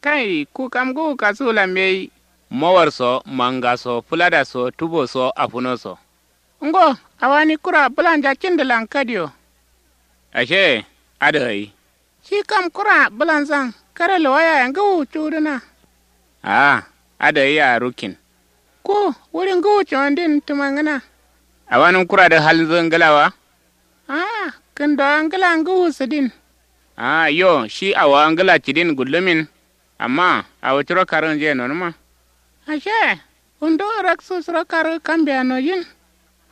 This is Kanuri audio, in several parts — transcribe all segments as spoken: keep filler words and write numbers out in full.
Kai, ku kam ngǝwu kasuwulan mbeyi. Mowar so, manga so, fǝlada so, tubo so, afuno so. Ngo, awani kura bǝlanja cindǝlan kadiyo. Ashe, adǝ gai. Shi kam kura bǝlanzan kare lowo yaye ngǝwu cuwudǝna. Aa, adǝ gai ya rukkin. Ku, wuri ngǝwu cuwandin tǝmangǝna. Awanǝm kuradǝ halnzǝ ngǝla wa? Aa, kǝndowa ngǝla ngǝwu sǝdin. Aa, yo, shi awowa ngǝla cǝdin gullumin. Amma awo curo karǝnjǝye nonǝma. Ashe, wundu raksu suro karǝ kambeya nojin.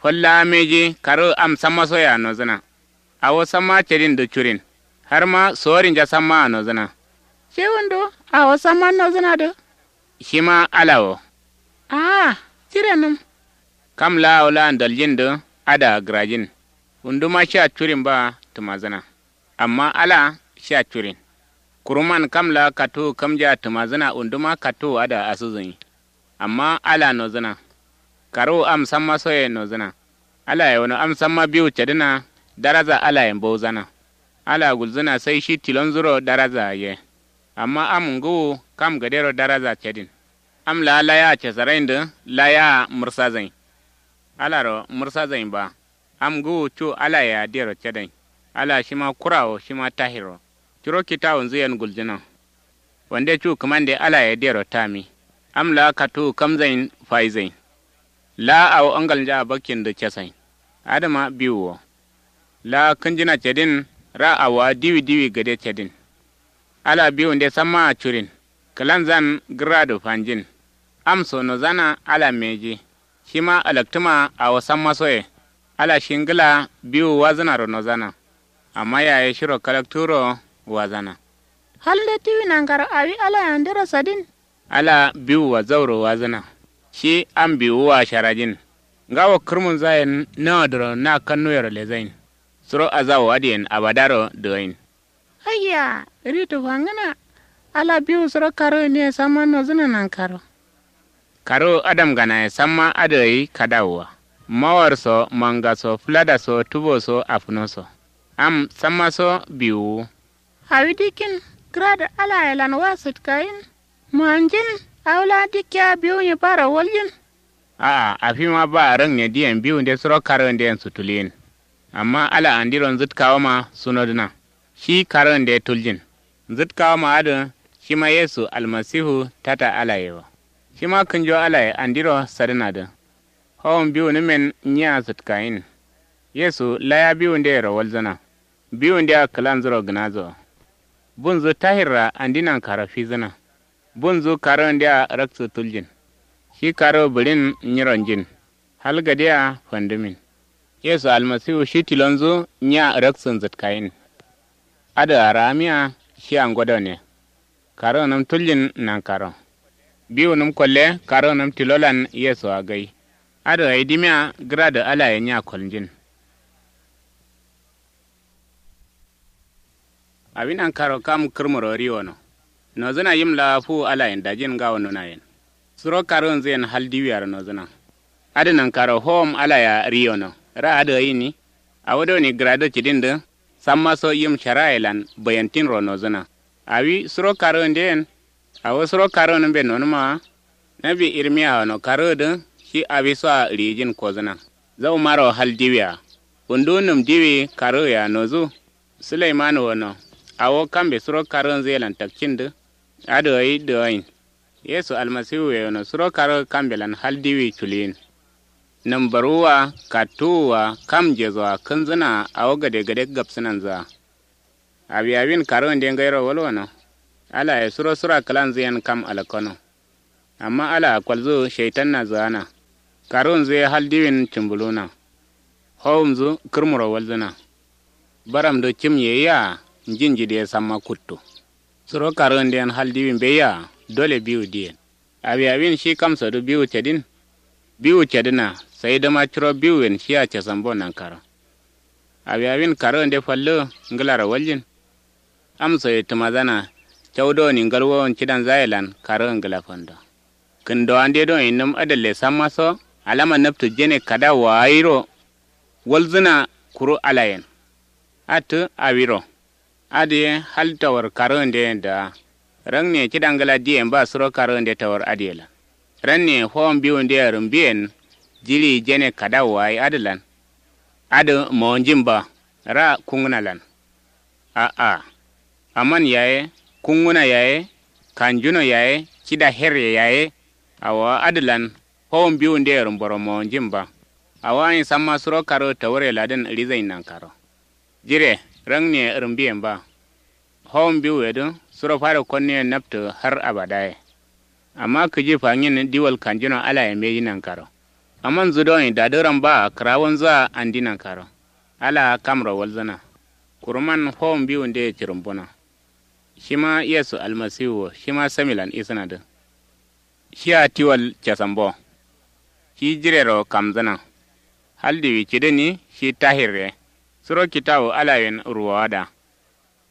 Falla mbeji karǝ am samma soyea nozǝna. Awo samma cǝdindǝ curin. Harma sorinja sammaa nozǝna. Shi wundu awo samma nozǝnadǝ. Shima ala wo. Aa, cirenǝm. Kam laa awo laa ndaljindǝ adǝa gǝrajin. Wunduma shia curin ba tǝmazǝna. Amma ala shia curin. Kuruman kam laa kattuwu kamjea tǝmazǝna wunduma kattuwu adǝa asǝzǝnyi. Amma ala nozǝna. Karǝwu am samma soye nozǝna. Alaye wono am samma biwu cǝdǝna. Daraza alaye mbauzana. Ala gulzǝna sai shi tilonzuro daraza ye. Amma am ngǝwu kam gadero daraza cǝdin. Am laa laya cesaraindǝ laya mǝrsazai. Alaro mǝrsazai ba. Am ngǝwu cu alayea dero cadain. Ala shima kura wo shima tahir wo. Curo kitawunzǝ yen guljǝna. Wande cu kǝmande alaye dero tami. Am laa kattuwu kamzain faizain. Laa awo angalnjaa bakkindǝ casain. Adǝma biwu wo. Laa kǝnjǝna cedin. Ra awowa diwi diwi gade cedin. Ala biwunde sammaa curin. Kǝlanzan gǝrradǝ fanjin. Am so nozana ala mbeji. Shima alaktǝma awo samma soye. Ala shi ngǝla biwu wazǝnaro nozana. Amma yaye shiro kalakturo wazana. Halnde tiwi nankaro awi alayandero sadin. Ala biwua zauro wazǝna. Shi am biwua sharajin. Ngawo kǝrmunzayen nawadǝro na kannuwero lezain. Suro azawu adǝyen abadaro dǝgain. Ayya, ritu fangǝna. Ala biwu suro karǝgǝniye samma nozǝna nankaro. Karǝgǝ adamganaye samma adǝ gai kadawua. Mawar so, manga so, fǝlada so, tubo so, afuno so. Am samma so biwuwu. Awi dikkin gǝradǝ alayelan wa sǝtkayin. Manjin. Awo laa dikkiya biwunyi baro waljin. A'a, afima ba rǝngne diyen biwunde suro karǝgǝnden sutulyin. Amma ala andiro nzǝtkawoma sunodǝna. Shi karǝgǝnde tuljin. Nzǝtkawoma adǝ. Shima yesu almasihu tata alaye wo. Shima kǝnjo alaye andiro sadǝnadǝ. Howum biwunǝmen nyiya sǝtkayin. Yesu laya biwundeyero walzǝna. Biwundea kǝlanzuro gǝnazowo. Bunzǝ tahirra andi nankaro fizǝna. Bunzǝ karǝgǝndea raksǝ tuljin. Shi karǝgǝ bǝɍin nyiro njin. Hal gadea fandǝmin. Yesu almasiwu shi tilonzǝ nya raksǝ nzǝtkayin. Adǝa raamiya shia ngodone. Karǝgǝnǝm tuljin nankaro. Biwunǝm kolle karǝgǝnǝm tilolan yesuwa gai. Adǝ gai dimiya gǝradǝ alaye nya kolnjin. Awi nankaro kam kǝrmuro riwono. Nozǝna yim laa fuwu alayen dajin ngawo nunayen. Suro karǝgǝnzǝyen hal diwiyaro nozǝna. Adǝ nankaro howom alayea riyono. Ra adǝ gai ni. Awo doni gǝradǝ cǝdindǝ. Samma so yim sharayelan bayantinro nozǝna. Awi suro karǝgǝndeyen. Awo suro karǝgǝnǝmbe nonǝma wa. Nawi irmiya wono karǝgǝdǝ. Shi awisoa ɍiyijin kozǝna. Zaumaro hal diwia. Wundu nǝm diwi karǝgǝyea nozu. Sǝlaiman wono. Awo kambe suro karǝgǝnzǝyelan takcindǝ. Adǝ gai dǝgain. Yesu almasiwuye wono suro karǝgǝ kambelan hal diwi culiyin. Nǝm baruwua kattuwua kam njesoa kǝnzǝnaa awo gade gade gabsǝnanzǝa. Awi awin karǝgǝnde ngairo walwano. Alaye suro sura kǝlanzǝyen kam alakkano. Amma alaa kolzǝ shaitanna zǝgana. Karǝgǝnzǝ ye hal diwin cǝmbǝluna. Howumzǝ kǝrmuro walzǝna. Baramdǝ cǝm yeyia. Njin njidǝ ye samma kuttu. Suro karǝgǝnden hal diwi mbeyia. Dole biwu diyen. Awi awin shi kamsodǝ biwu cǝdin. Biwu cǝdǝna. Saidǝma curo biwuyen shia casambo nankaro. Awi awin karǝgǝnde fallu. Ngǝlaro waljin. Amsoye tǝmazana. Cau doni ngalwowon cidanzayelan karǝgǝ ngǝla fando. Kǝndowande doni nǝm adǝlle samma so. Alama naptǝ jene kada waayiro. Walzǝna. Kuru alayen. Attǝ awiro. Adǝ ye hal tawar karǝgǝndeyen dǝga. Rangne cida ngla diyen ba suro karunde tawar adǝ ye lan. Rangne fowon biwunde ye rǝmbiyen. Jiɍi jene kadawu wa ye adǝ lan. Adǝ mowonjin ba. Ra kungǝna lan. A'a. Aman yaye. Kungǝna yaye. Kanjuno yaye. Cida herre yaye. Awo adǝ lan. Fowon biwunde ye rǝmboro mowonjin ba. Awo ayin samma suro karu tawure ladǝn ɍizain nankaro. Jire. Rangne rǝmbiyen ba. Fowon biwuye dǝ suro fado konnuye naptǝ har abadaye. Amma kǝji fangin diwal kanjuno alaye mbeji nankaro. Aman zudon dadǝ ramba kǝrawonzǝa andi nankaro. Alaa kamro walzǝna. Kuruman fowon biwunde ye cǝrǝmbuna. Shima yesu almasiwu wo shima samilan isǝnadǝ. Shia tiwal casambo. Shi jirero kamzǝna. Hal diwi cǝdǝni. Shi tahirre. Suro kitawu alayen ruwowada.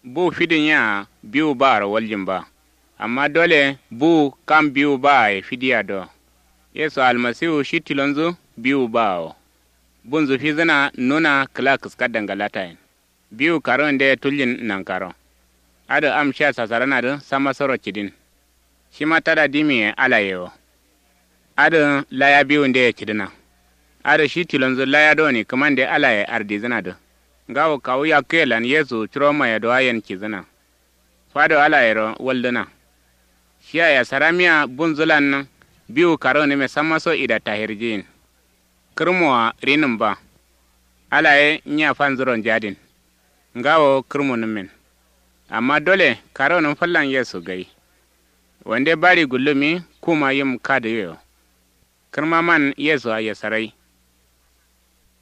Bu fidin yea biwu baaro waljin ba. Amma dole bu kam biwu baaye fidiya do. Yesu almasiwu shi tilonzu biwu baawo. Bunzu fizǝna nuna kǝla kǝska dangalatayen. Biwu karunde tuljin nankaro. Adǝ am shia sasaranadǝ samma soro cǝdin. Shima tada dimiye alaye wo. Adǝ laya biwunde ye cǝdǝna. Adǝ shi tilonzu laya doni kǝmande alaye ardizǝnadǝ. Ngawo kawu yakkǝye lan yesu curo mayedowayen cizǝna. Fado alayero waldǝna. Shia yasaramiya bunzǝ lan. Biwu karunǝme samma so ida tahirjiyin. Kǝrmowa rinǝm ba. Alaye nya fanzuro njadin. Ngawo kǝrmunǝmmen. Amma dole karunǝm fallan yesu gai. Wande bari gullumi kuma yim kadǝ yo. Kǝrmaman yesu a yasarai.